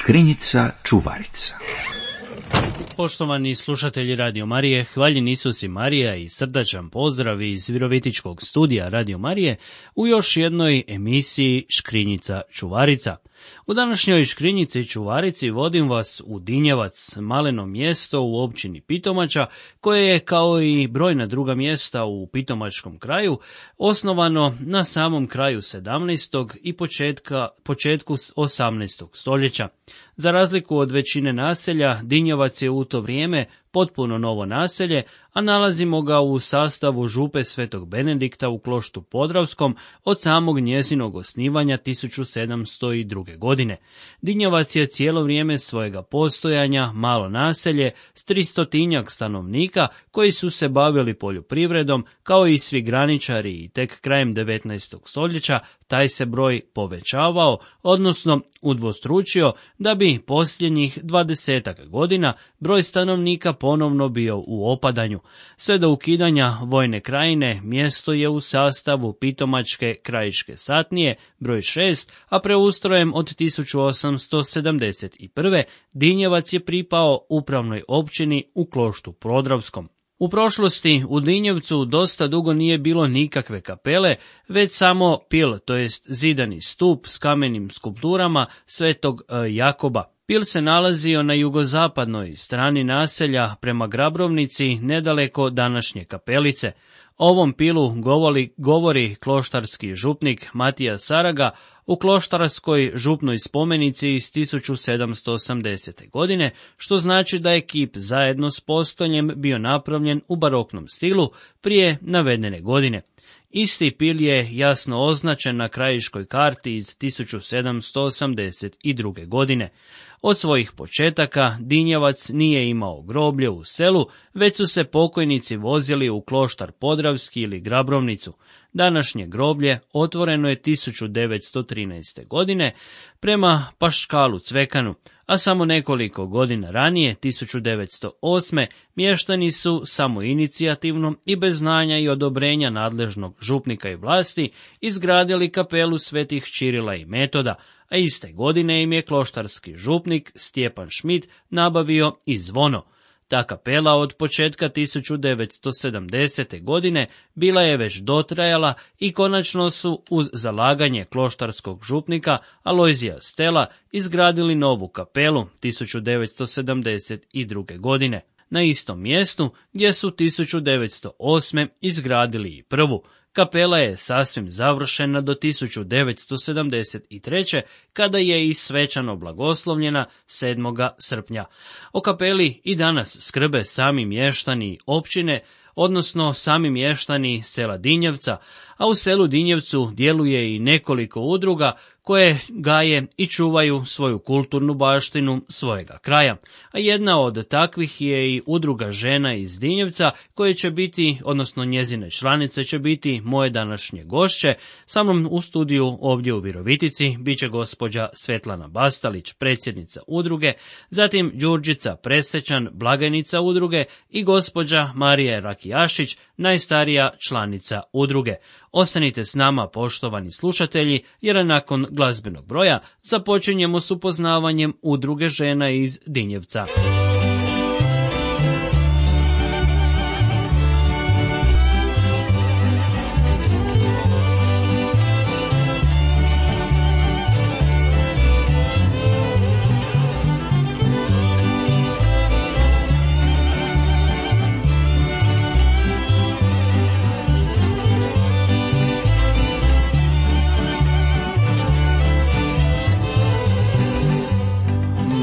Škrinjica čuvarica. Poštovani slušatelji Radio Marije, hvaljen Isus i Marija i srdačan pozdrav iz Virovitičkog studija Radio Marije u još jednoj emisiji Škrinjica čuvarica. U današnjoj Škrinjici čuvarici vodim vas u Dinjevac, maleno mjesto u općini Pitomača, koje je kao i brojna druga mjesta u Pitomačkom kraju osnovano na samom kraju 17. i početku 18. stoljeća. Za razliku od većine naselja, Dinjevac je u to vrijeme potpuno novo naselje, a nalazimo ga u sastavu župe Svetog Benedikta u Kloštu Podravskom od samog njezinog osnivanja 1702. godine. Dinjevac je cijelo vrijeme svojega postojanja malo naselje s 300 stanovnika koji su se bavili poljoprivredom, kao i svi graničari, i tek krajem 19. stoljeća taj se broj povećavao, odnosno udvostručio, da bi posljednjih 20 godina broj stanovnika ponovno bio u opadanju. Sve do ukidanja Vojne krajine mjesto je u sastavu Pitomačke krajiške satnije broj 6, a preustrojem od 1871. Dinjevac je pripao upravnoj općini u Kloštu Podravskom. U prošlosti u Dinjevcu dosta dugo nije bilo nikakve kapele, već samo pil, to jest zidani stup s kamenim skulpturama Svetog Jakoba. Pil se nalazio na jugozapadnoj strani naselja prema Grabrovnici, nedaleko današnje kapelice. Ovom pilu govori kloštarski župnik Matija Saraga u kloštarskoj župnoj spomenici iz 1780. godine, što znači da je kip zajedno s postoljem bio napravljen u baroknom stilu prije navedene godine. Isti pil je jasno označen na krajiškoj karti iz 1782. godine. Od svojih početaka Dinjevac nije imao groblje u selu, već su se pokojnici vozili u Kloštar Podravski ili Grabrovnicu. Današnje groblje otvoreno je 1913. godine prema Paškalu Cvekanu, a samo nekoliko godina ranije, 1908. mještani su samoinicijativno i bez znanja i odobrenja nadležnog župnika i vlasti izgradili kapelu svetih Čirila i Metoda, a iste godine im je kloštarski župnik Stjepan Šmit nabavio i zvono. Ta kapela od početka 1970. godine bila je već dotrajala i konačno su uz zalaganje kloštarskog župnika Alojzija Stela izgradili novu kapelu 1972. godine. Na istom mjestu gdje su 1908. izgradili i prvu. Kapela je sasvim završena do 1973. kada je i svečano blagoslovljena 7. srpnja. O kapeli i danas skrbe sami mještani općine, odnosno sami mještani sela Dinjevca, a u selu Dinjevcu djeluje i nekoliko udruga koje gaje i čuvaju svoju kulturnu baštinu svojega kraja. A jedna od takvih je i udruga žena iz Dinjevca, koje će biti, odnosno njezine članice će biti moje današnje gošće. Sa mnom u studiju ovdje u Virovitici bit će gospođa Svetlana Bastalić, predsjednica udruge, zatim Đurđica Presečan, blagajnica udruge, i gospođa Marija Rakijašić, najstarija članica udruge. Ostanite s nama, poštovani slušatelji, jer nakon glazbenog broja započinjemo s upoznavanjem udruge žena iz Dinjevca.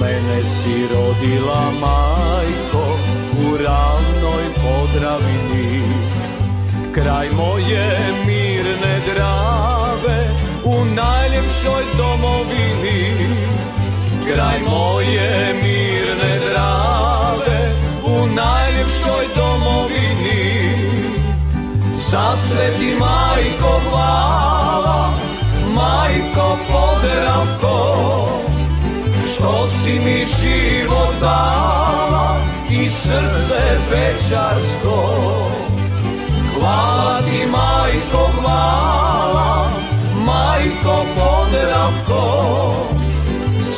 Mene si rodila, majko, u ravnoj Podravini, kraj moje mirne Drave, u najljepšoj domovini. Kraj moje mirne Drave, u najljepšoj domovini. Za sve ti, majko, hvala, majko Podravko, što si mi život dala i srce večarsko. Hvala ti, majko, hvala, majko Podravko,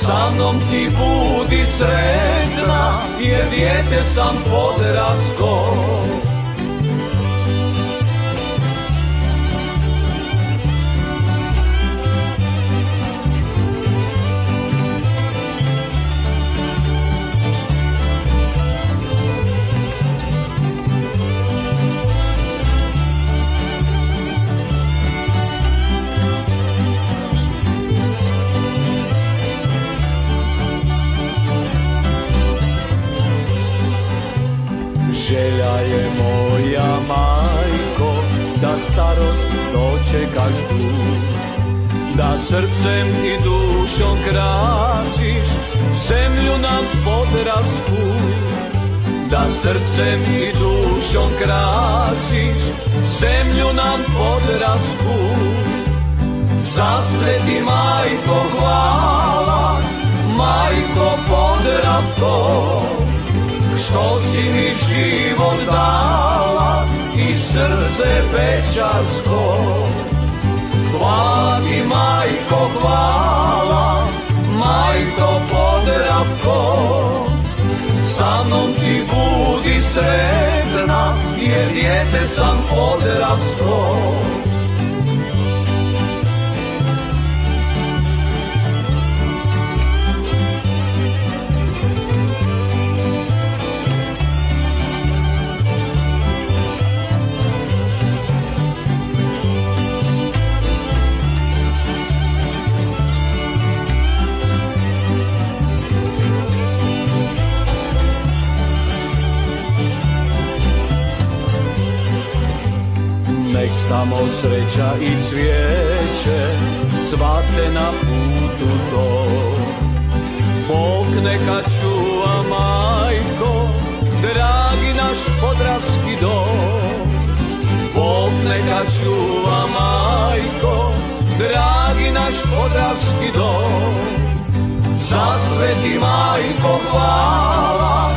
sa mnom ti budi sretna, jer dijete sam podravsko. Želja je moja, majko, da starost dočekaš tu, da srcem i dušom krasiš zemlju nam podravsku, da srcem i dušom krasiš zemlju nam podravsku. Za sve ti, majko, hvala, majko Podravko, što si mi život dala i srce pečarsko. Hvala ti, majko, hvala, majko Podravko, sa mnom ti budi sretna, jer dijete sam podravsko. Nek samo sreća i cvijeće cvate na putu to. Bog neka čuva, majko, dragi naš podravski dom. Bog neka čuva, majko, dragi naš podravski dom. Za sve ti, majko, hvala,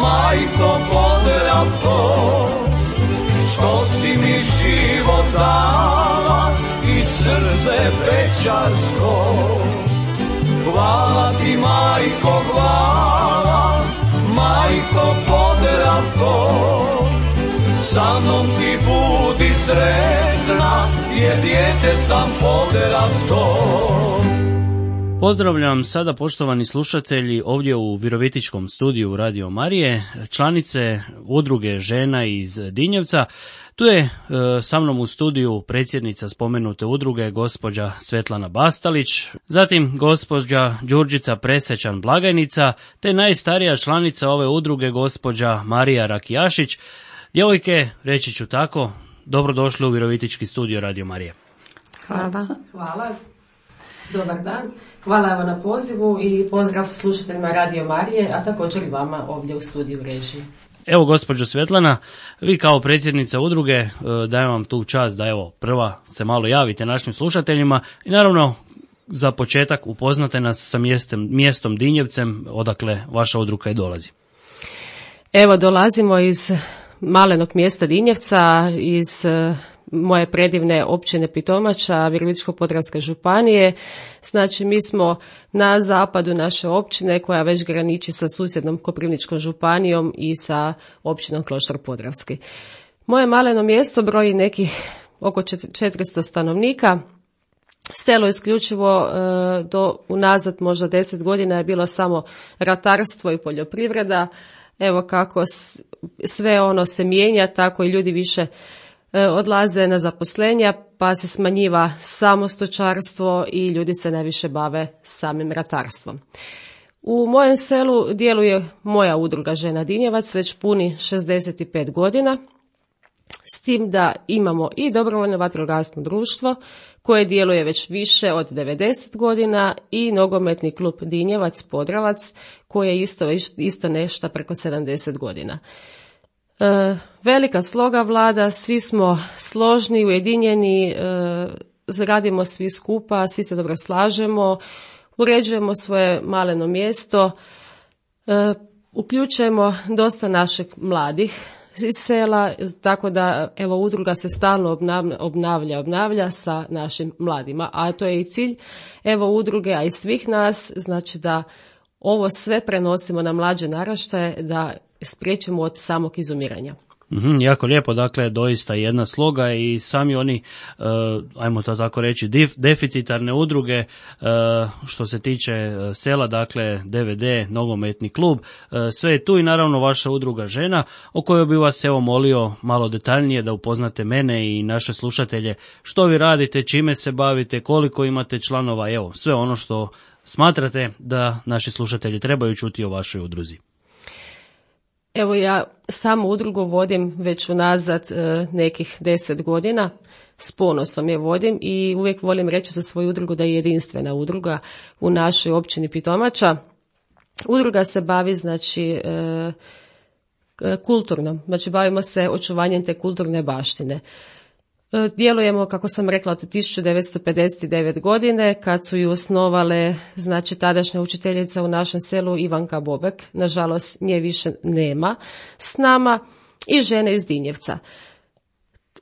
majko Podravko, što si mi život dala i srce pečarsko. Hvala ti, majko, hvala, majko Podravko, sa mnom ti budi sretna, jer dijete sam podravsko. Pozdravljam sada, poštovani slušatelji, ovdje u Virovitičkom studiju Radio Marije, članice udruge žena iz Dinjevca. Tu je sa mnom u studiju predsjednica spomenute udruge, gospođa Svetlana Bastalić, zatim gospođa Đurđica Presečan blagajnica, te najstarija članica ove udruge, gospođa Marija Rakijašić. Djevojke, reći ću tako, dobrodošli u Virovitički studio Radio Marije. Hvala. Dobar dan. Hvala evo na pozivu i pozdrav slušateljima Radio Marije, a također i vama ovdje u studiju režiji. Evo, gospođo Svetlana, vi kao predsjednica udruge dajem vam tu čast da evo prva se malo javite našim slušateljima i naravno za početak upoznate nas sa mjestom Dinjevcem, odakle vaša udruga i dolazi. Evo, dolazimo iz malenog mjesta Dinjevca, iz moje predivne općine Pitomača, Virovitičko-podravske županije. Znači, mi smo na zapadu naše općine koja već graniči sa susjednom Koprivničkom županijom i sa općinom Kloštar Podravski. Moje maleno mjesto broji nekih oko 400 stanovnika. Selo isključivo do unazad možda 10 godina je bilo samo ratarstvo i poljoprivreda. Evo kako sve ono se mijenja, tako i ljudi više odlaze na zaposlenja, pa se smanjiva samo stočarstvo i ljudi se najviše bave samim ratarstvom. U mojem selu djeluje moja udruga Žena Dinjevac, već puni 65 godina, s tim da imamo i dobrovoljno vatrogasno društvo koje djeluje već više od 90 godina i nogometni klub Dinjevac Podravac koji je isto nešto preko 70 godina. Velika sloga vlada, svi smo složni, ujedinjeni, radimo svi skupa, svi se dobro slažemo, uređujemo svoje maleno mjesto, uključujemo dosta naših mladih, iz sela, tako da evo udruga se stalno obnavlja sa našim mladima, a to je i cilj evo udruge, a i svih nas, znači da ovo sve prenosimo na mlađe naraštaje, da spriječimo od samog izumiranja. Jako lijepo, dakle, doista jedna sloga i sami oni, ajmo to tako reći, deficitarne udruge, što se tiče sela, dakle, DVD, nogometni klub, sve je tu i naravno vaša udruga žena, o kojoj bi vas evo molio malo detaljnije da upoznate mene i naše slušatelje, što vi radite, čime se bavite, koliko imate članova, evo, sve ono što smatrate da naši slušatelji trebaju čuti o vašoj udruzi. Evo ja samu udrugu vodim već unazad nekih 10 godina, s ponosom je vodim i uvijek volim reći za svoju udrugu da je jedinstvena udruga u našoj općini Pitomača. Udruga se bavi znači kulturno, znači bavimo se očuvanjem te kulturne baštine. Djelujemo, kako sam rekla, od 1959. godine, kad su ju osnovale, znači, tadašnja učiteljica u našem selu Ivanka Bobek, nažalost nje više nema s nama, i žene iz Dinjevca.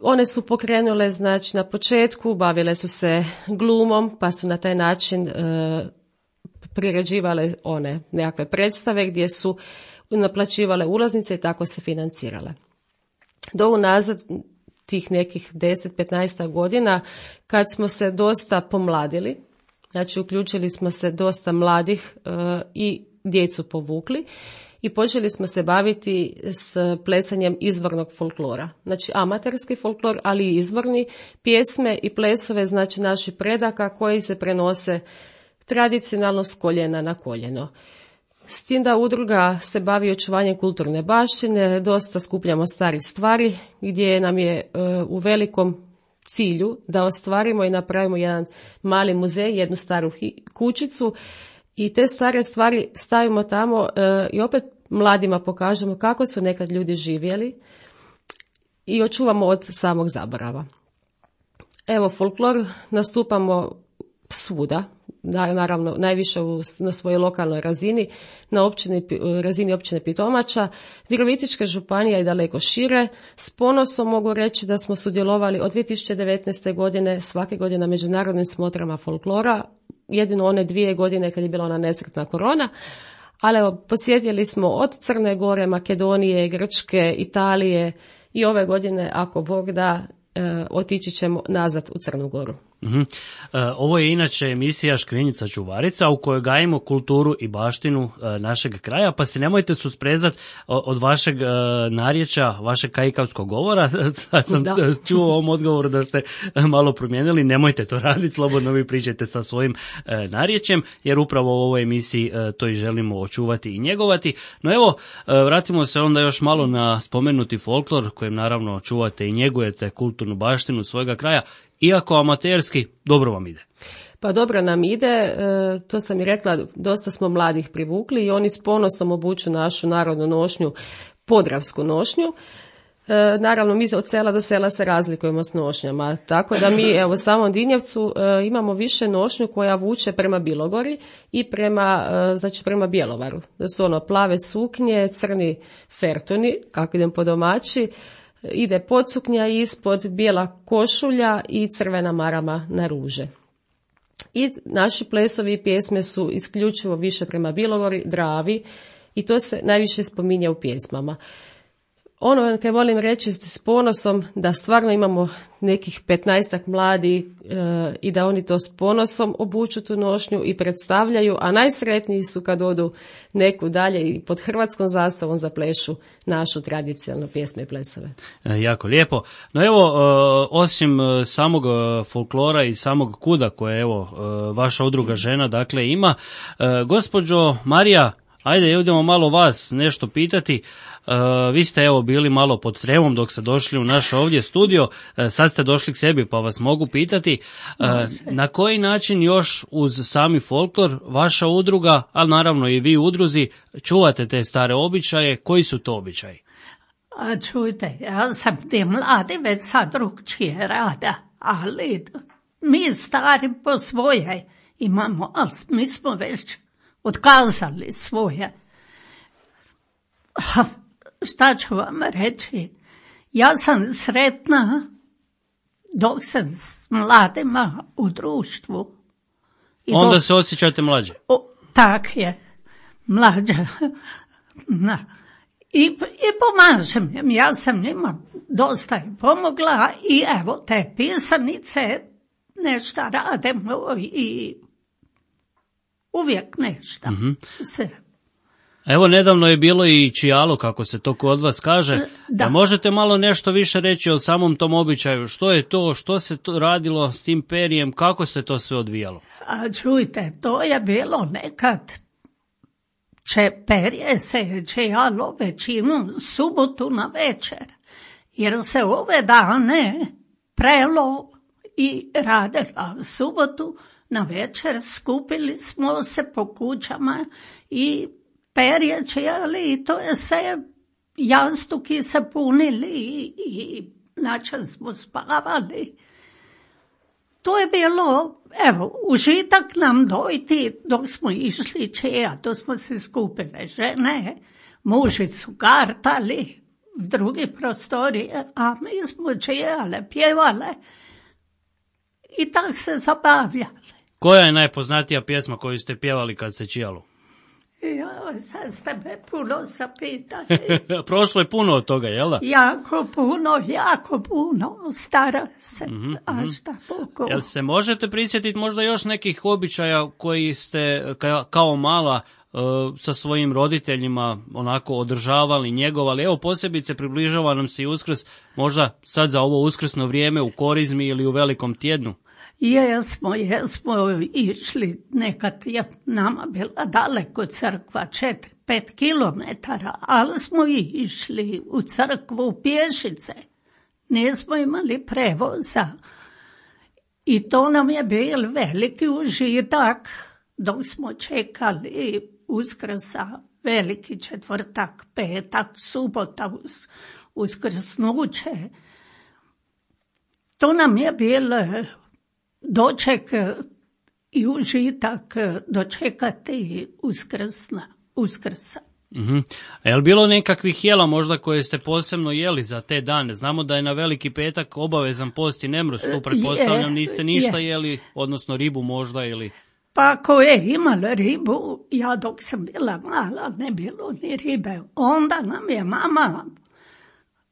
One su pokrenule, znači, na početku, bavile su se glumom, pa su na taj način priređivale one nekakve predstave gdje su naplaćivale ulaznice i tako se financirale. Do unazad tih nekih 10-15 godina, kad smo se dosta pomladili, znači uključili smo se dosta mladih i djecu povukli i počeli smo se baviti s plesanjem izvornog folklora. Znači amaterski folklor, ali i izvorni, pjesme i plesove, znači naših predaka koji se prenose tradicionalno s koljena na koljeno. S tim da udruga se bavi očuvanjem kulturne baštine, dosta skupljamo starih stvari gdje nam je u velikom cilju da ostvarimo i napravimo jedan mali muzej, jednu staru kućicu i te stare stvari stavimo tamo i opet mladima pokažemo kako su nekad ljudi živjeli i očuvamo od samog zaborava. Evo, folklor nastupamo svuda, naravno najviše na svojoj lokalnoj razini, na razini općine Pitomača. Virovitička županija je daleko šire. S ponosom mogu reći da smo sudjelovali od 2019. godine svake godine na međunarodnim smotrama folklora, jedino one 2 godine kad je bila ona nesretna korona, ali evo, posjetili smo od Crne Gore, Makedonije, Grčke, Italije i ove godine, ako Bog da, otići ćemo nazad u Crnu Goru. Ovo je inače emisija Škrinjica čuvarica u kojoj gajimo kulturu i baštinu našeg kraja, pa se nemojte susprezati od vašeg narječja, vašeg kajkavskog govora. Sad sam čuo u ovom odgovoru da ste malo promijenili, nemojte to raditi, slobodno vi pričajte sa svojim narječjem, jer upravo u ovoj emisiji to i želimo očuvati i njegovati. No evo, vratimo se onda još malo na spomenuti folklor, kojim naravno čuvate i njegujete kulturnu baštinu svojega kraja. Iako amaterski, dobro vam ide. Pa dobro nam ide, to sam i rekla, dosta smo mladih privukli i oni s ponosom obuču našu narodnu nošnju, podravsku nošnju. Naravno, mi od sela do sela se razlikujemo s nošnjama, tako da mi evo u samom Dinjevcu imamo više nošnju koja vuče prema Bilogori i prema Bjelovaru. Da su ono plave suknje, crni fertuni, kako idem po domaći, ide podsuknja ispod, bijela košulja i crvena marama na ruže. I naši plesovi i pjesme su isključivo više prema Bilogori, Dravi i to se najviše spominje u pjesmama. Ono kaj volim reći s ponosom da stvarno imamo nekih 15 mladih i da oni to s ponosom obuču tu nošnju i predstavljaju, a najsretniji su kad odu neku dalje i pod hrvatskom zastavom zaplešu našu tradicionalnu pjesme i plesove. Jako lijepo. No evo, osim samog folklora i samog kuda koje evo vaša udruga žena dakle ima, gospođo Marija, ajde idemo malo vas nešto pitati. Vi ste evo bili malo pod tremom dok ste došli u naš ovdje studio, sad ste došli k sebi pa vas mogu pitati na koji način još uz sami folklor vaša udruga, ali naravno i vi u udruzi, čuvate te stare običaje, koji su to običaji? Čujte, ja sam ti mladi već sad drugčije rada, ali mi stari po svoje imamo, ali mi smo već otkazali svoje. šta ću vam reći, ja sam sretna dok sam s mladima u društvu. Onda se osjećate mlađe. Tak je, mlađa. I pomažem im, ja sam njima dosta i pomogla i evo te pisanice, nešto radimo i uvijek nešto. Se. Evo, nedavno je bilo i čijalo, kako se to kod vas kaže. Da možete malo nešto više reći o samom tom običaju? Što je to, što se to radilo s tim perijem, kako se to sve odvijalo? A čujte, to je bilo nekad, perje se čijalo većinu subotu na večer, jer se ove dane prelo i radila subotu na večer, skupili smo se po kućama i perje čijali i to je se, jastuki se punili i način smo spavali. To je bilo, evo, užitak nam dojti dok smo išli čija, to smo se skupile žene, muži su kartali v drugi prostorije, a mi smo čijale, pjevale i tak se zabavljali. Koja je najpoznatija pjesma koju ste pjevali kad se čijalo? Sad ste me puno zapitali. Prošlo je puno od toga, jel da? Jako puno, stara se, a šta Bogu. Jel se možete prisjetiti možda još nekih običaja koji ste kao mala sa svojim roditeljima onako održavali, njegovali? Evo, posebice približava nam se i Uskrs, možda sad za ovo uskrsno vrijeme u Korizmi ili u Velikom tjednu. Jesmo išli, nekad je nama bila daleko crkva, 4-5 kilometara, ali smo išli u crkvu pješice. Nismo imali prevoza i to nam je bil veliki užitak dok smo čekali Uskrsa, Veliki četvrtak, petak, subota, uskrsnuće. To nam je bil doček i užitak dočekati Uskrsa. A je li bilo nekakvih jela možda koje ste posebno jeli za te dane? Znamo da je na Veliki petak obavezan post i nemrus, tu pretpostavljam niste ništa jeli, odnosno ribu možda ili... Pa ako je imala ribu, ja dok sam bila mala ne bilo ni ribe. Onda nam je mama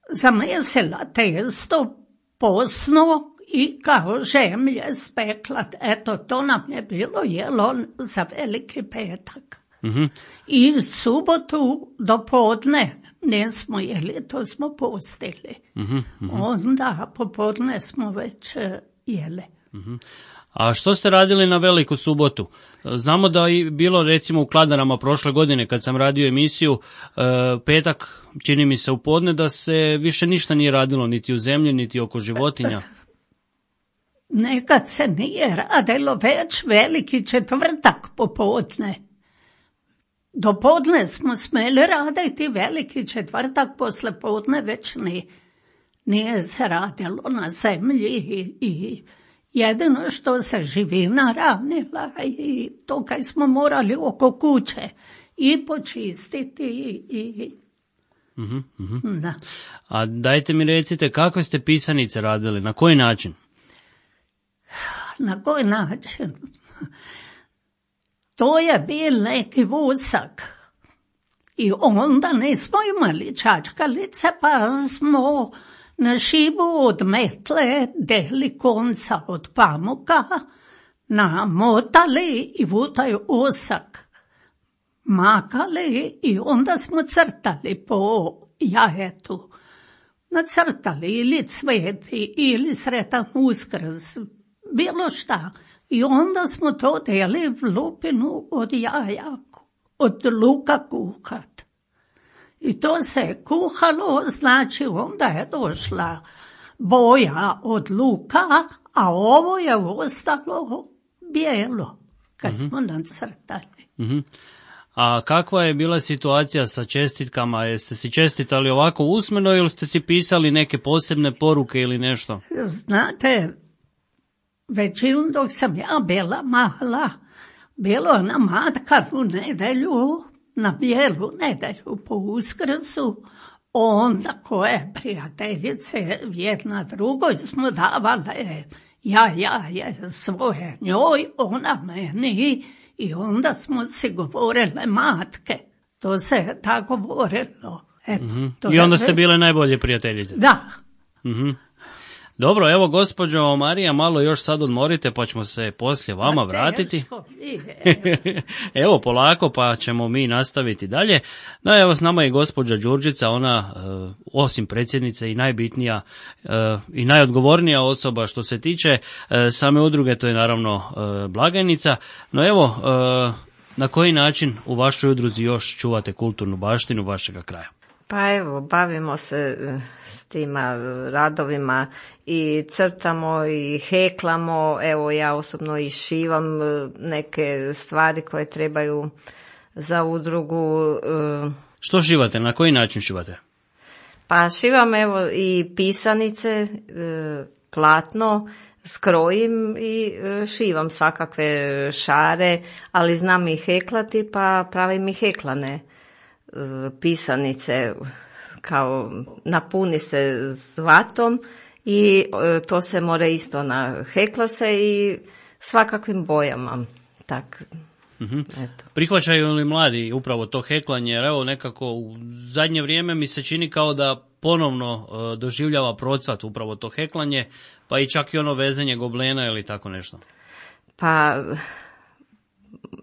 zamesila testo posno i kao žemlje spekla. Eto, to nam je bilo jelo za Veliki petak. I subotu do podne nismo jeli, to smo postili. Onda popodne smo već jeli. A što ste radili na Veliku subotu? Znamo da je bilo recimo u Kladanama prošle godine kad sam radio emisiju, petak, čini mi se u podne, da se više ništa nije radilo, niti u zemlji, niti oko životinja. Nekad se nije radilo, već Veliki četvrtak popodne. Do podne smo smeli raditi, Veliki četvrtak posle podne već nije se radilo na zemlji i jedino što se živina ranila i to kaj smo morali oko kuće i počistiti i... Da. A dajte mi recite, kakve ste pisanice radili, na koji način? Na koji način? To je bil neki vusak i onda nismo imali čačkalice, pa smo na šibu od metle deli konca od pamuka, namotali i u taj osak makali i onda smo crtali po jajetu. Nacrtali ili cveti ili sretan Uskrs, bilo šta. I onda smo to deli v lupinu od jaja, od luka kuhat. I to se kuhalo, znači onda je došla boja od luka, a ovo je ostalo bijelo, kad smo nacrtali. A kakva je bila situacija sa čestitkama? Jeste si čestitali ovako usmeno ili ste si pisali neke posebne poruke ili nešto? Znate, većinu dok sam ja bila mala, bilo na matkanu nedelju, na bijelu nedelju po Uskrsu, onda koje prijateljice jedna drugoj smo davale, ja svoje njoj, ona meni, i onda smo si govorile matke. To se tako govorilo. Eto, I onda ste bile najbolje prijateljice. Da. Dobro, evo gospođo Marija, malo još sad odmorite pa ćemo se poslije vama vratiti. Evo polako pa ćemo mi nastaviti dalje. No evo s nama je gospođa Đurđica, ona osim predsjednice i najbitnija i najodgovornija osoba što se tiče same udruge, to je naravno blagajnica. No evo, na koji način u vašoj udruzi još čuvate kulturnu baštinu vašega kraja? Pa evo, bavimo se s tima radovima i crtamo i heklamo, evo ja osobno i šivam neke stvari koje trebaju za udrugu. Što šivate, na koji način šivate? Pa šivam evo i pisanice, platno, skrojim i šivam svakakve šare, ali znam i heklati pa pravim i heklane pisanice, kao napuni se zlatom i to se mora isto nahekla se i svakakvim bojama. Tak. Eto. Prihvaćaju li mladi upravo to heklanje? Jer evo nekako u zadnje vrijeme mi se čini kao da ponovno doživljava procvat upravo to heklanje, pa i čak i ono vezanje goblena ili tako nešto. Pa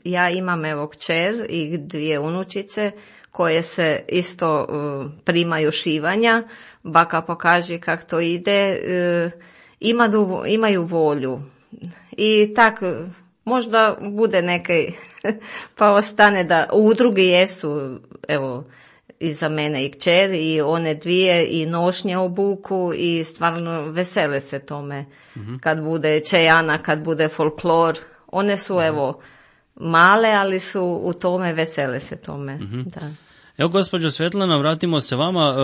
ja imam evo kćer i 2 unučice koje se isto primaju šivanja, baka pokaže kak to ide, imaju volju i tak možda bude neke pa ostane da u udrugi jesu, evo i za mene i kćer i one 2 i nošnje obuku i stvarno vesele se tome kad bude čejana, kad bude folklor, one su evo male, ali su u tome, vesele se tome. Da. Evo gospođo Svetlana, vratimo se vama.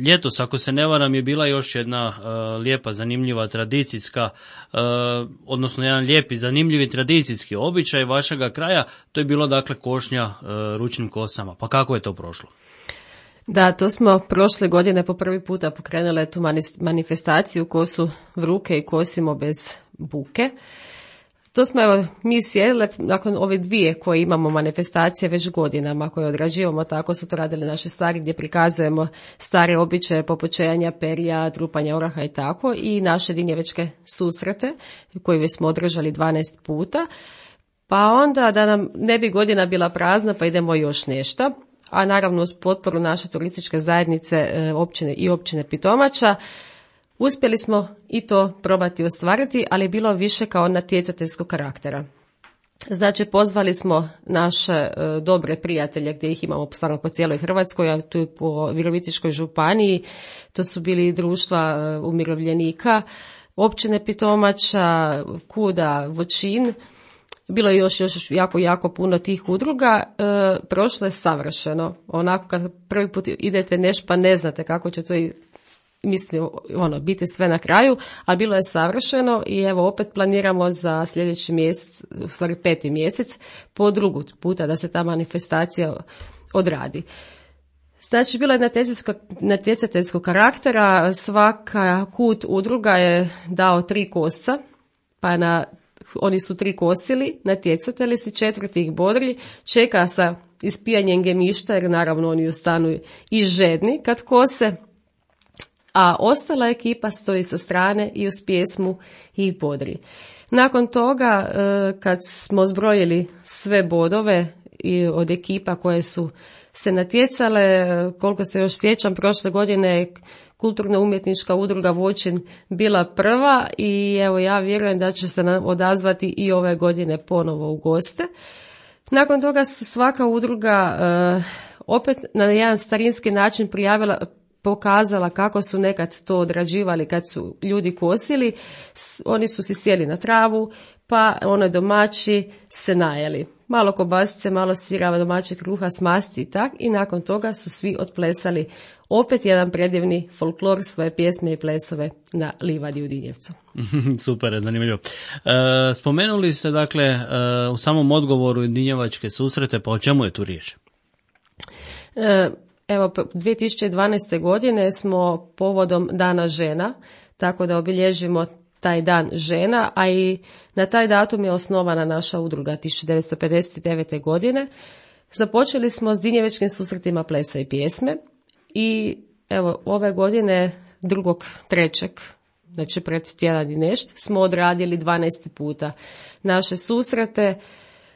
Ljetos, ako se ne varam, je bila još jedna lijepa, zanimljiva, tradicijska, odnosno jedan lijepi, zanimljivi tradicijski običaj vašega kraja. To je bilo dakle košnja ručnim kosama. Pa kako je to prošlo? Da, to smo prošle godine po prvi puta pokrenule tu manifestaciju Kosu v ruke i kosimo bez buke. To smo evo mi sjedile nakon ove 2 koje imamo manifestacije već godinama koje odrađivamo, tako su to radili naši stari gdje prikazujemo stare običaje poput čejanja perja, trupanja oraha i tako, i naše dinjevačke susrete koje već smo održali 12 puta. Pa onda da nam ne bi godina bila prazna pa idemo još nešto, a naravno uz potporu naše turističke zajednice općine Pitomača uspjeli smo i to probati ostvariti, ali je bilo više kao natjecateljskog karaktera. Znači, pozvali smo naše dobre prijatelje, gdje ih imamo stvarno po cijeloj Hrvatskoj, a tu i po Virovitičkoj županiji. To su bili društva umirovljenika, općine Pitomača, Kuda, Voćin. Bilo je još jako puno tih udruga. Prošlo je savršeno. Onako kad prvi put idete nešto pa ne znate kako će to biti sve na kraju, ali bilo je savršeno i evo opet planiramo za sljedeći mjesec, u stvari 5. mjesec, po drugi puta da se ta manifestacija odradi. Znači, bilo je natjecateljskog karaktera, svaka kut udruga je dao 3 kosca, pa oni su 3 kosili, natjecatelji si, 4 ih bodri, čeka sa ispijanjem gemišta, jer naravno oni ostanu i žedni kad kose, a ostala ekipa stoji sa strane i uz pjesmu i bodri. Nakon toga, kad smo zbrojili sve bodove i od ekipa koje su se natjecale, koliko se još sjećam, prošle godine Kulturno-umjetnička udruga Voćin bila prva i evo ja vjerujem da će se odazvati i ove godine ponovo u goste. Nakon toga svaka udruga opet na jedan starinski način pokazala kako su nekad to odrađivali kad su ljudi kosili. Oni su si sjeli na travu, pa domaći se najeli. Malo kobasice, malo sira, domaćeg kruha s masti i tak. I nakon toga su svi otplesali opet jedan predivni folklor, svoje pjesme i plesove na livadi u Dinjevcu. Super, zanimljivo. Spomenuli ste dakle u samom odgovoru dinjevačke susrete, pa o čemu je tu riječ? Evo, 2012. godine smo povodom Dana žena, tako da obilježimo taj dan žena, a i na taj datum je osnovana naša udruga 1959. godine. Započeli smo s dinjevačkim susretima plesa i pjesme i evo ove godine 2.3., znači pred tjedan i nešto, smo odradili 12. puta naše susrete,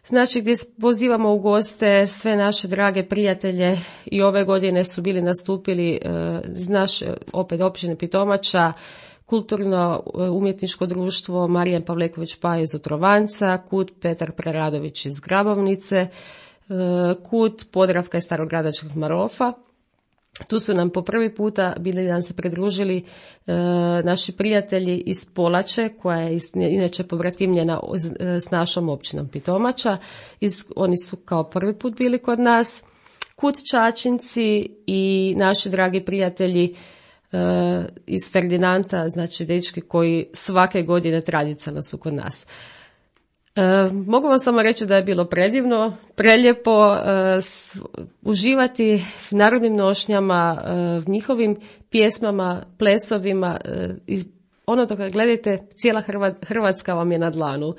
znači gdje pozivamo u goste sve naše drage prijatelje i ove godine su bili nastupili iz naše opet općine Pitomača, Kulturno-umjetničko društvo Marijan Pavleković Paj iz Otrovanca, KUD Petar Preradović iz Grabovnice, KUD Podravka iz Starogradačkog Marofa. Tu su nam po prvi puta bili nam se pridružili naši prijatelji iz Polače, koja je inače pobratimljena s našom općinom Pitomača. Oni su kao prvi put bili kod nas. KUD Čačinci i naši dragi prijatelji iz Ferdinanda, znači dečki koji svake godine tradicionalno su kod nas. Mogu vam samo reći da je bilo predivno, prelijepo uživati u narodnim nošnjama, njihovim pjesmama, plesovima. Ono dok gledajte, cijela Hrvatska vam je na dlanu.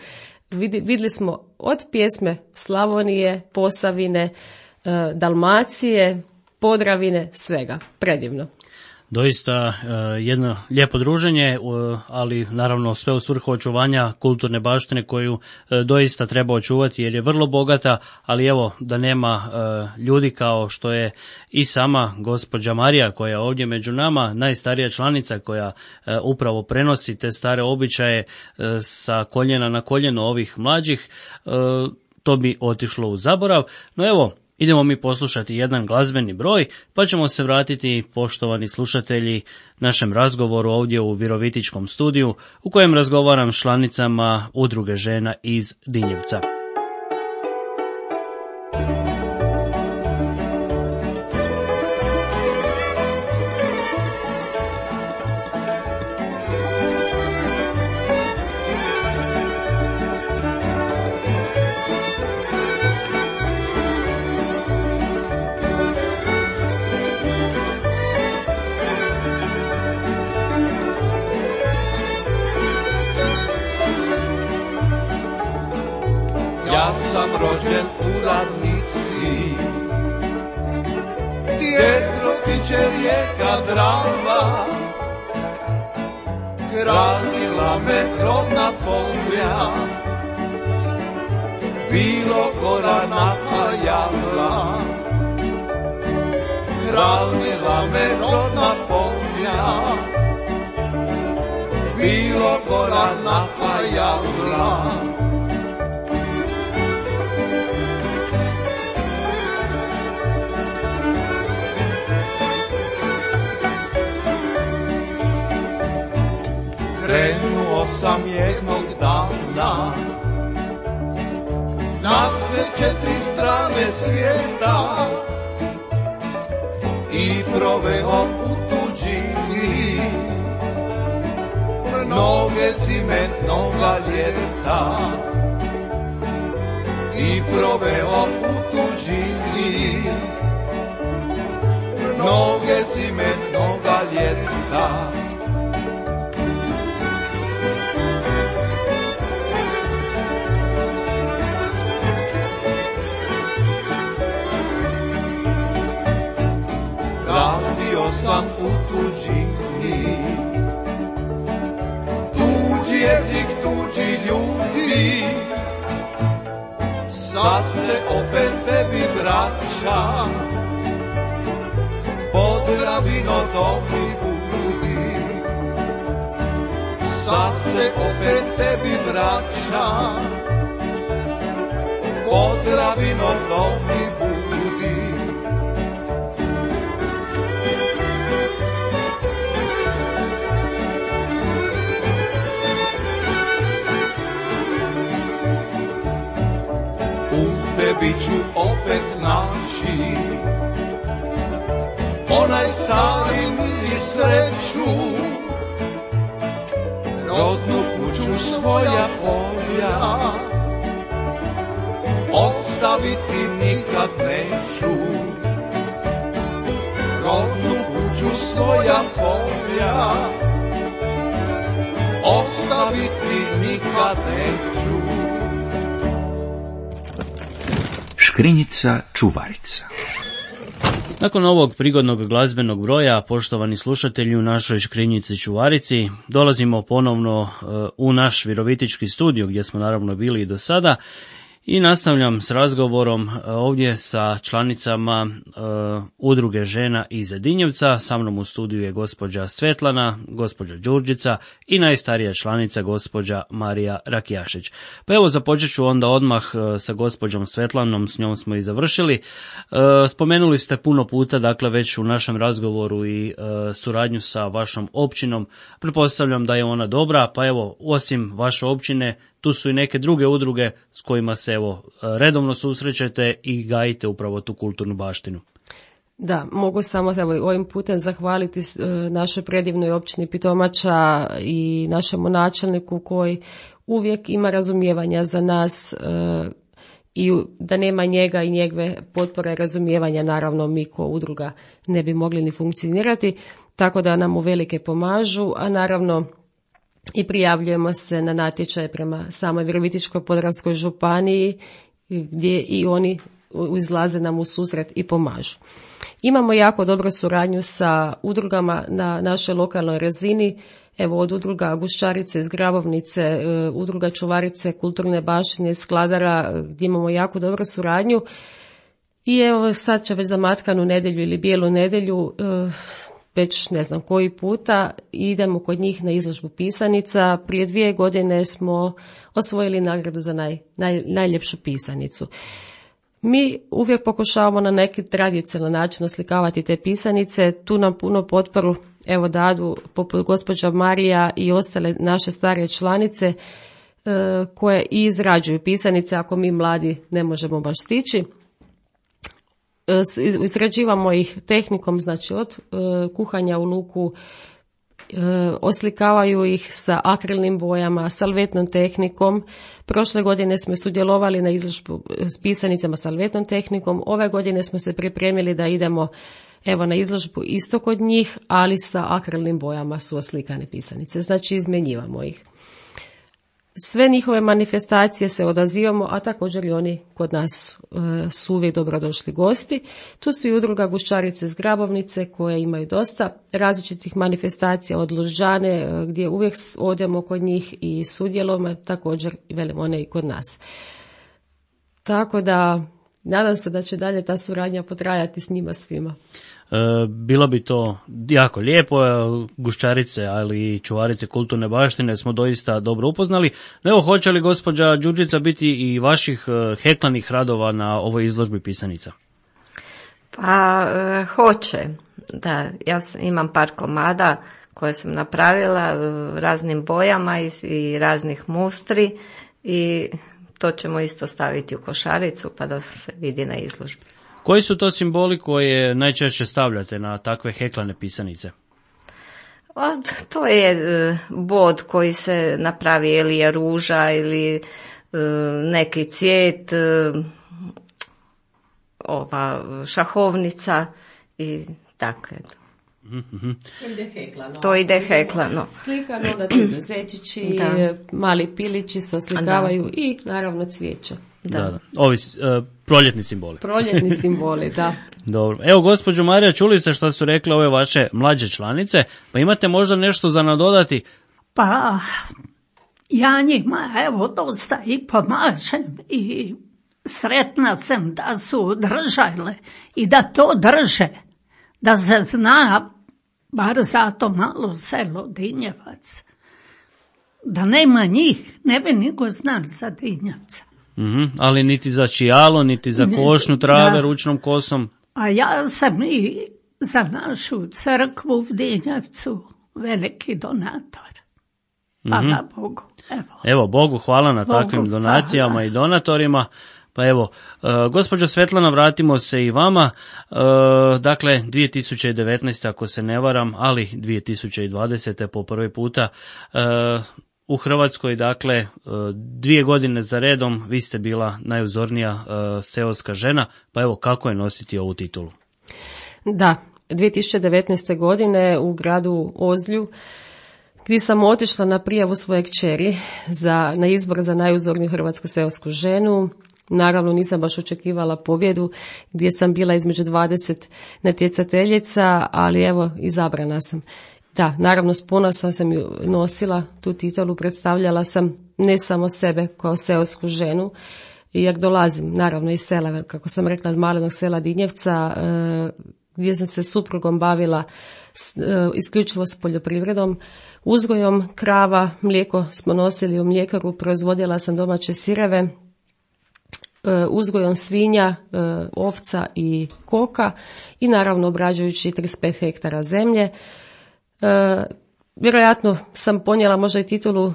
Vidjeli smo od pjesme Slavonije, Posavine, Dalmacije, Podravine, svega. Predivno. Doista jedno lijepo druženje, ali naravno sve u svrhu očuvanja kulturne baštine koju doista treba očuvati jer je vrlo bogata, ali evo da nema ljudi kao što je i sama gospođa Marija koja je ovdje među nama, najstarija članica koja upravo prenosi te stare običaje sa koljena na koljeno ovih mlađih, to bi otišlo u zaborav. No evo, idemo mi poslušati jedan glazbeni broj, pa ćemo se vratiti, poštovani slušatelji, našem razgovoru ovdje u Virovitičkom studiju, u kojem razgovaram s članicama Udruge žena iz Dinjevca. Rođen u Radnici, gdje protiče rijeka Drava, hranila me rodna polja, bilo gora napajala. Hranila me rodna polja, bilo gora napajala. Krenuo sam jednog dana na sve 4 strane svijeta i proveo u tuđini mnoge zime, mnoga ljeta. I proveo u tuđini mnoge zime, mnoga ljeta. Radio sam u tuđini, tuđi jezik, tuđi ljudi, sad se opet tebi vraća, pozdravino dobri budi. Sad se opet tebi vraća, pozdravino dobri budi. Tebi ću opet naći onaj stari mir i sreću, rodnu kuću, svoja polja, ostaviti nikad neću. rodnu kuću svoja polja ostaviti nikad neću. Škrinjica čuvarica. Nakon ovog prigodnog glazbenog broja, poštovani slušatelji, u našoj škrinjici čuvarici dolazimo ponovno u naš virovitički studio gdje smo naravno bili i do sada i nastavljam s razgovorom ovdje sa članicama udruge žena iz Dinjevca. Sa mnom u studiju je gospođa Svetlana, gospođa Đurđica i najstarija članica gospođa Marija Rakijašić. Pa evo započet ću onda odmah sa gospođom Svetlanom, s njom smo i završili. Spomenuli ste puno puta, dakle već u našem razgovoru i suradnju sa vašom općinom. Pretpostavljam da je ona dobra, pa evo osim vaše općine tu su i neke druge udruge s kojima se evo redovno susrećete i gajite upravo tu kulturnu baštinu. Da, mogu samo ovim putem zahvaliti našoj predivnoj općini Pitomača i našemu načelniku koji uvijek ima razumijevanja za nas i da nema njega i njegove potpore i razumijevanja, naravno mi ko udruga ne bi mogli ni funkcionirati, tako da nam uvelike pomažu, a naravno i prijavljujemo se na natječaje prema samoj Virovitičko-podravskoj županiji gdje i oni izlaze nam u susret i pomažu. Imamo jako dobru suradnju sa udrugama na našoj lokalnoj razini, evo od udruga Guščarice iz Grabovnice, udruga Čuvarice kulturne baštine iz Skladara gdje imamo jako dobru suradnju i evo sad će već za Matkanu nedjelju ili Bijelu nedjelju već ne znam koji puta idemo kod njih na izložbu pisanica. Prije 2 godine smo osvojili nagradu za najljepšu pisanicu. Mi uvijek pokušavamo na neki tradicionalan način oslikavati te pisanice. Tu nam puno potporu evo dadu poput gospođa Marija i ostale naše starije članice koje i izrađuju pisanice ako mi mladi ne možemo baš stići. Izrađivamo ih tehnikom, znači od kuhanja u luku, oslikavaju ih sa akrilnim bojama, salvetnom tehnikom. Prošle godine smo sudjelovali na izložbu s pisanicama salvetnom tehnikom. Ove godine smo se pripremili da idemo evo na izložbu isto kod njih, ali sa akrilnim bojama su oslikane pisanice. Znači izmjenjivamo ih. Sve njihove manifestacije se odazivamo, a također i oni kod nas su uvijek dobrodošli gosti. Tu su i udruga Guščarice iz Grabovnice koje imaju dosta različitih manifestacija od Lužđane gdje uvijek odemo kod njih i sudjelujemo, također velim one i kod nas. Tako da nadam se da će dalje ta suradnja potrajati s njima svima. Bilo bi to jako lijepo, Guščarice, ali i Čuvarice kulturne baštine smo doista dobro upoznali. Evo, hoće li gospođa Đurđica biti i vaših heklanih radova na ovoj izložbi pisanica? Pa hoće, da, ja imam par komada koje sam napravila raznim bojama i raznih mustri i to ćemo isto staviti u košaricu pa da se vidi na izložbi. Koji su to simboli koje najčešće stavljate na takve heklane pisanice? To je bod koji se napravi ili je ruža ili neki cvijet, ova šahovnica i tako. To ide heklano. Slikano, da tu idu zečići, mali pilići se oslikavaju i naravno cvijeća. Da. Ovi proljetni simboli. Proljetni simboli, da. Dobro. Evo, gospođo Marija, čuli ste što su rekle ove vaše mlađe članice, pa imate možda nešto za nadodati? Pa, ja njima evo dosta i pomažem i sretna sam da su držale i da to drže, da se zna, bar za to malo selo Dinjevac, da nema njih, ne bi niko znao za Dinjevca. Ali niti za čijalo, niti za košnju trave ručnom kosom. A ja sam i za našu crkvu u Dinjevcu veliki donator. Hvala Bogu. Evo, Bogu hvala na takvim donacijama i donatorima. Pa evo, gospođo Svetlana, vratimo se i vama. Dakle, 2019. ako se ne varam, ali 2020. po prvi puta u Hrvatskoj, dakle, 2 godine za redom vi ste bila najuzornija seoska žena, pa evo kako je nositi ovu titulu? Da, 2019. godine u gradu Ozlju, gdje sam otišla na prijavu svoje kćeri na izbor za najuzorniju hrvatsku seosku ženu. Naravno nisam baš očekivala pobjedu, gdje sam bila između 20 natjecateljica, ali evo izabrana sam. Da, naravno s ponosom sam ju nosila tu titulu, predstavljala sam ne samo sebe kao seosku ženu, jer dolazim naravno iz sela, kako sam rekla, od malenog sela Dinjevca, gdje sam se suprugom bavila isključivo s poljoprivredom, uzgojom krava, mlijeko smo nosili u mljekaru, proizvodila sam domaće sireve, uzgojom svinja, ovca i koka i naravno obrađujući 35 hektara zemlje. Vjerojatno sam ponijela možda i titulu,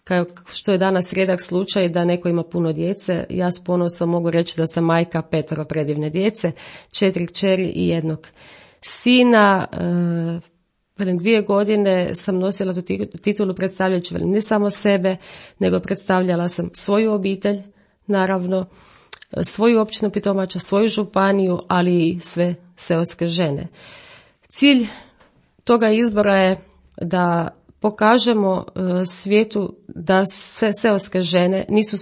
kao što je danas rijedak slučaj, da neko ima puno djece. Ja s ponosom mogu reći da sam majka 5 predivne djece, 4 kćeri i 1 sina. 2 godine sam nosila tu titulu predstavljajući ne samo sebe, nego predstavljala sam svoju obitelj, naravno, svoju općinu Pitomača, svoju županiju, ali i sve seoske žene. Cilj toga izbora je da pokažemo svijetu da sve seoske žene nisu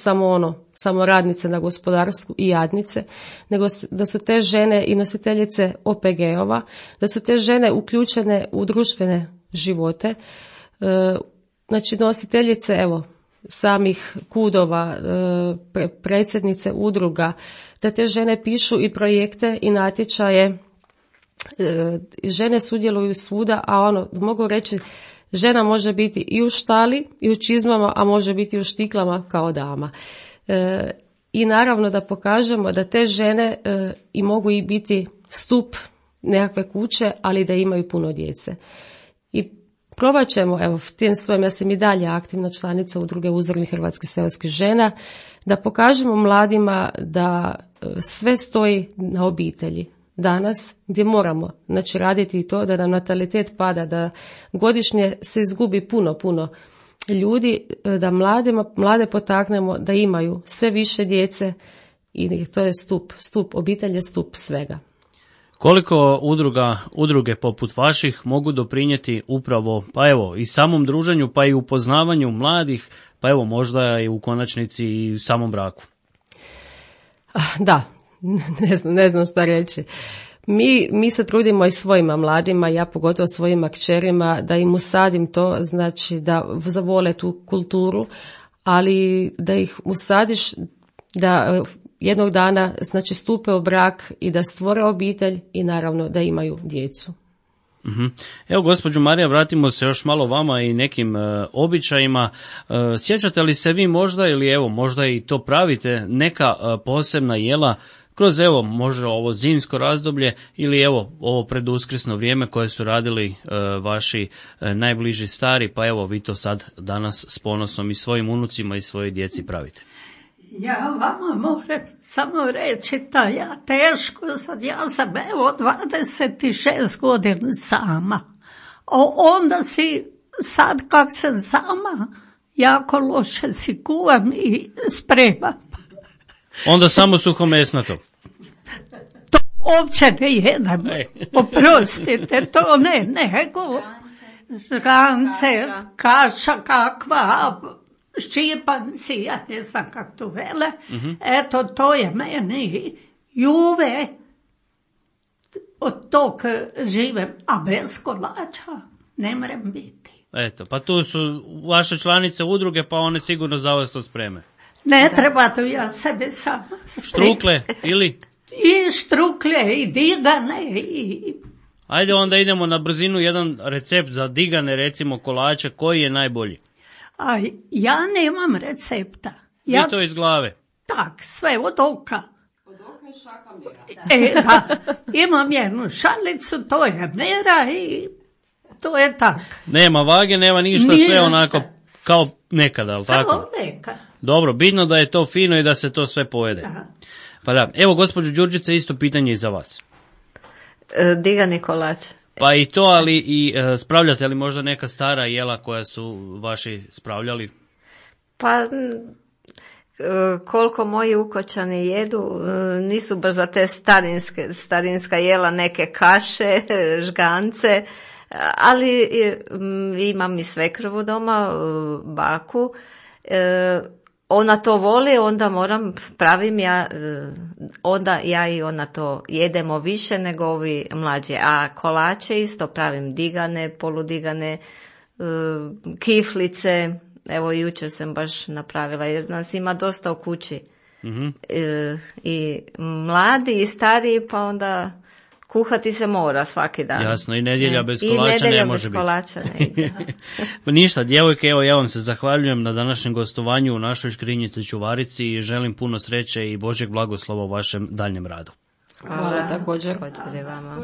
samo radnice na gospodarstvu i jadnice, nego da su te žene i nositeljice OPG-ova, da su te žene uključene u društvene živote, znači nositeljice, evo, samih kudova, predsjednice udruga, da te žene pišu i projekte i natječaje. Žene sudjeluju svuda, a mogu reći, žena može biti i u štali i u čizmama, a može biti i u štiklama kao dama. I naravno da pokažemo da te žene i mogu i biti stup nekakve kuće, ali da imaju puno djece. I probat ćemo, evo, tim svojim, ja sam i dalje aktivna članica udruge uzornih hrvatskih seoskih žena, da pokažemo mladima da sve stoji na obitelji. Danas, gdje moramo raditi i to da nam natalitet pada, da godišnje se izgubi puno ljudi, da mlade potaknemo da imaju sve više djece i to je stup, obitelj je stup svega. Koliko udruge poput vaših mogu doprinijeti upravo, pa evo, i samom druženju, pa i upoznavanju mladih, pa evo, možda i u konačnici i u samom braku? Da, ne znam šta reći. Mi se trudimo i svojima mladima, ja pogotovo svojima kćerima, da im usadim to, znači da zavole tu kulturu, ali da ih usadiš da jednog dana znači stupe u brak i da stvore obitelj i naravno da imaju djecu. Evo, gospođo Marija, vratimo se još malo vama i nekim običajima. Sjećate li se vi možda, ili evo možda i to pravite, neka posebna jela kroz evo možda ovo zimsko razdoblje ili evo ovo preduskrsno vrijeme koje su radili vaši najbliži stari, pa evo vi to sad danas s ponosom i svojim unucima i svojoj djeci pravite? Ja vama moram samo reći da ja teško sad, ja sam evo 26 godina sama. Onda si sad kak sam sama, jako loše si kuvam i spremam. Onda samo suhomesnato. To uopće ne jedem, oprostite, to ne, nego žgance, kaša kakva, ščipanci, ja ne znam kako to vele, eto to je meni juve, od tog živem, a bez kolača ne moram biti. Eto, pa tu su vaše članice udruge, pa one sigurno za vas to spreme. Ne treba to ja sebe sama. Štrukle ili? I štrukle i digane i... Ajde onda idemo na brzinu jedan recept za digane, recimo kolače, koji je najbolji? A ja nemam recepta. Vi to iz glave? Tak, sve od oka. Od oka i šaka mjera. Da, imam jednu šalicu, to je mjera i to je tak. Nema vage, nema ništa, sve onako kao nekada, ali tako? Kao nekad. Dobro, bitno da je to fino i da se to sve pojede. Da. Pa da, evo gospođo Đurđice, isto pitanje i za vas. Digani kolač. Pa i to, ali i spravljate li možda neka stara jela koja su vaši spravljali? Pa, koliko moji ukočani jedu, nisu baš za te starinska jela, neke kaše, žgance, ali imam i svekrovu doma, baku, ona to voli, onda pravim ja, onda ja i ona to jedemo više nego ovi mlađi, a kolače isto pravim digane, poludigane, kiflice. Evo, jučer sam baš napravila, jer nas ima dosta u kući. Mm-hmm. I mladi i stariji, pa onda kuhati se mora svaki dan. Jasno, i nedjelja bez kolača ne može biti. Kolača ne ide. Ništa, djevojke, evo ja vam se zahvaljujem na današnjem gostovanju u našoj Škrinjici Čuvarici i želim puno sreće i Božjeg blagoslova u vašem daljnjem radu. Hvala također. Također vama.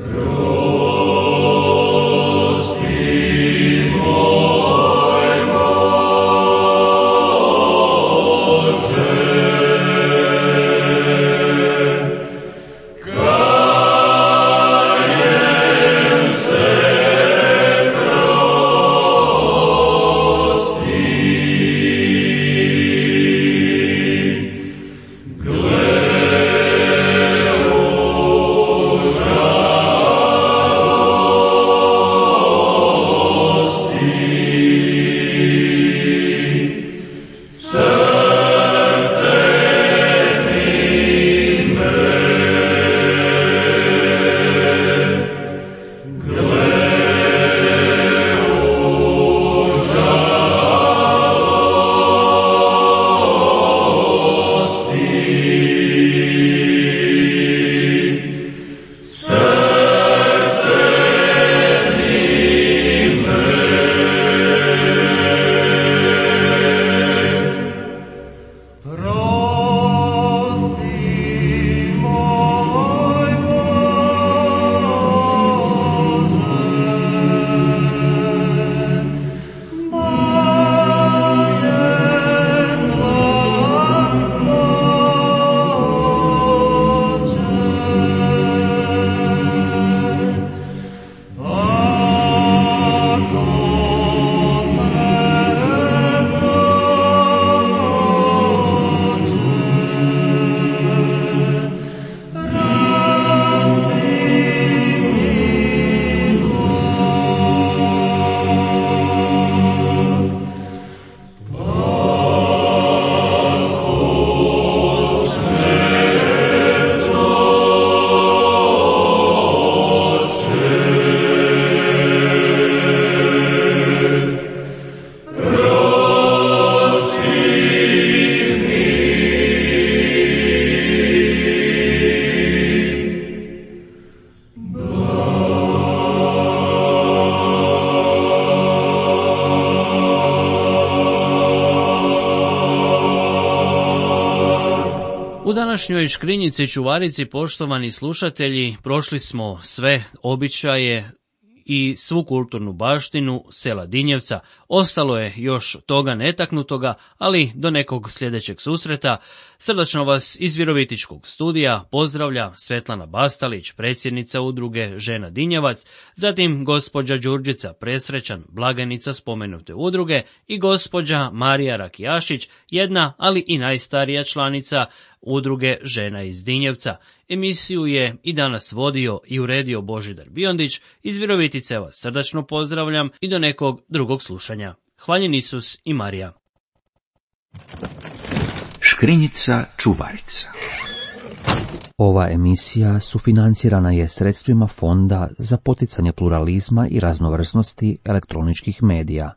U današnjoj Škrinjici Čuvarici, poštovani slušatelji, prošli smo sve običaje i svu kulturnu baštinu sela Dinjevca. Ostalo je još toga netaknutoga, ali do nekog sljedećeg susreta. Srdačno vas iz Virovitičkog studija pozdravlja Svetlana Bastalić, predsjednica udruge Žena Dinjevac, zatim gospođa Đurđica Presrećan, blagajnica spomenute udruge, i gospođa Marija Rakijašić, jedna, ali i najstarija članica udruge Žena iz Dinjevca. Emisiju je i danas vodio i uredio Božidar Biondić. Iz Virovitice vas srdačno pozdravljam i do nekog drugog slušanja. Hvaljen Isus i Marija. Škrinjica Čuvarica. Ova emisija sufinancirana je sredstvima Fonda za poticanje pluralizma i raznovrsnosti elektroničkih medija.